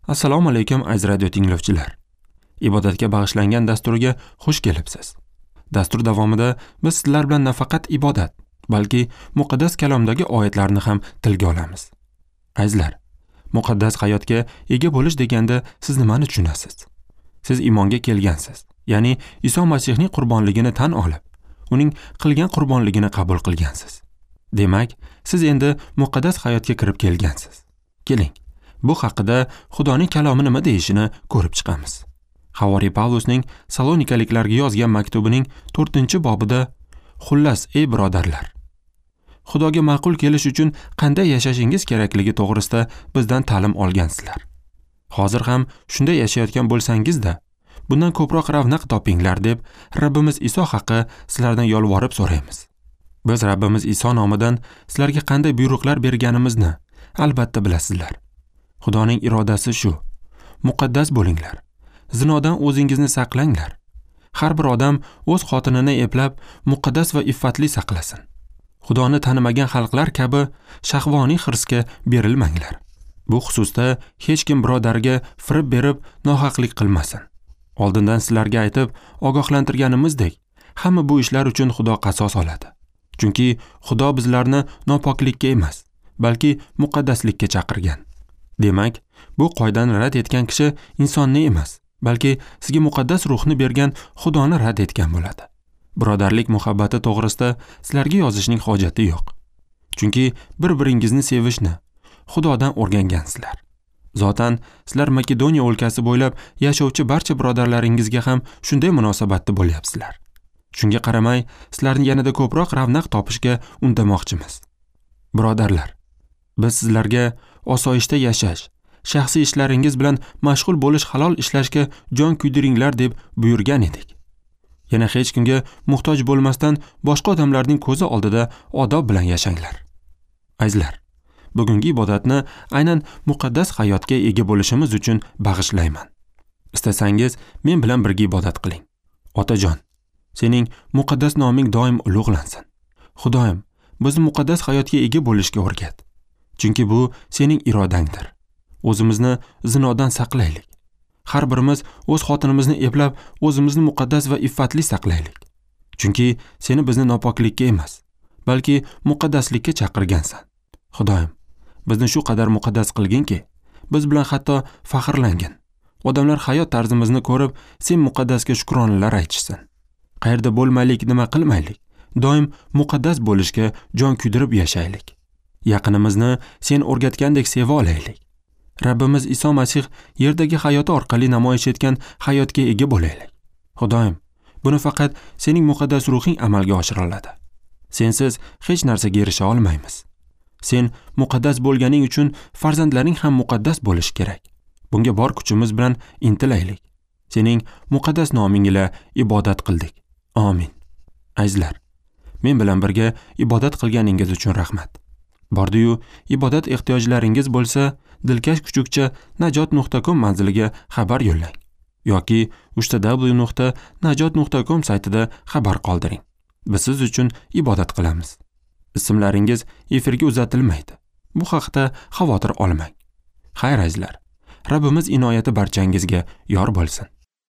Assalomu alaykum aziz radio tinglovchilar. Ibodatga bag'ishlangan dasturga xush kelibsiz. Dastur davomida biz sizlar bilan nafaqat ibodat, balki muqaddas kalomdagi oyatlarni ham tilga olamiz. Azizlar, muqaddas hayotga ega bo'lish deganda siz nimani tushunasiz? Siz iymonga kelgansiz, ya'ni Iso Masihning qurbonligini tan olib, uning qilgan qurbonligini qabul qilgansiz. Demak, siz endi muqaddas hayotga kirib kelgansiz. Keling, bu haqida Xudoning kalomi nima deyishini ko'rib chiqamiz. Havoriy Pavlusning Salonikaliklarga yozgan maktubining 4-bobida xullas, ey birodarlar, Xudoga ma'qul kelish uchun qanday yashashingiz kerakligi to'g'risida bizdan ta'lim olgansizlar. Hozir ham shunday yashayotgan bo'lsangiz-da, bundan ko'proq ravnaq topinglar deb Rabbimiz Iso haqi sizlardan yolvorib so'raymiz. Biz Rabbimiz Iso nomidan sizlarga qanday buyruqlar berganimizni albatta bilasizlar. Xudoning irodasi shu: muqaddas bo'linglar, zinodan o'zingizni saqlanglar. Har bir odam o'z xotinini eplab, muqaddas va iffatli saqlasin. Xudoni tanimagan xalqlar kabi shahvoniy hirsga berilmanglar. Bu xususda hech kim birodarga firib berib nohaqlik qilmasin. Oldindan sizlarga aytib ogohlantirganimizdek, hamma bu ishlar uchun Xudo qasos oladi. Chunki Xudo bizlarni nopoklikka emas, balki muqaddaslikka chaqirgan. Demak, bu qoidani rad etgan kishi insonni emas, balki sizga muqaddas ruhni bergan Xudoni rad etgan bo'ladi. Birodarlik muhabbati to'g'risida sizlarga yozishning hojati yo'q. Chunki bir-biringizni sevishni Xudodan o'rgangansizlar. Zotan sizlar Makedoniya o'lkasi bo'ylab yashovchi barcha birodarlaringizga ham shunday munosabatda bo'lyapsizlar. Shunga qaramay, sizlarni yanada ko'proq ravnaq topishga undamoqchimiz. Birodarlar, biz sizlarga osoyishta yashash, shaxsiy ishlaringiz bilan mashg'ul bo'lish, halol ishlashga jon kuydiringlar deb buyurgan edik. Yana hech kimga muhtoj bo'lmasdan boshqa odamlarning ko'zi oldida odob bilan yashanglar. Azizlar, bugungi ibodatni aynan muqaddas hayotga ega bo'lishimiz uchun bag'ishlayman. Istasangiz, men bilan birga ibodat qiling. Otajon, sening muqaddas noming doim ulug'lansin. Xudoyim, bizni muqaddas hayotga ega bo'lishga o'rgat. Chunki bu sening irodangdir. O'zimizni zinodan saqlaylik. Har birimiz o'z xotinimizni eplab, o'zimizni muqaddas va iffatli saqlaylik. Chunki seni bizni nopoklikka emas, balki muqaddaslikka chaqirgansan. Xudoyim, bizni shu qadar muqaddas qilginki, biz bilan hatto faxrlangin. Odamlar hayot tarzimizni ko'rib, sen muqaddasga shukronalar aytishsin. Qayerda bo'lmaylik, nima qilmaylik, doim muqaddas bo'lishga jon kuydirib yashaylik. Yaqinimizni sen o'rgatgandek seva olaylik. Rabbimiz Iso Masih yerdagi hayoti orqali namoyish etgan hayotga ega bo'laylik. Xudoyim, buni faqat sening muqaddas ruhing amalga oshira oladi. Sensiz hech narsaga erisha olmaymiz. Sen muqaddas bo'lganing uchun farzandlaring ham muqaddas bo'lishi kerak. Bunga bor kuchimiz bilan intilaylik. Sening muqaddas noming ila ibodat qildik. Amin. Azizlar, men bilan birga ibodat qilganingiz uchun rahmat. Bordi-yu, ibodat ehtiyojlaringiz bo'lsa, dilkash kuchukcha najot.com manziliga xabar yo'llang yoki www.najot.com saytida xabar qoldiring. Biz siz uchun ibodat qilamiz. Ismlaringiz efirga uzatilmaydi. Bu haqda xavotir olmang. Xayr azizlar, Rabbimiz inoyati barchangizga yor bo'lsin.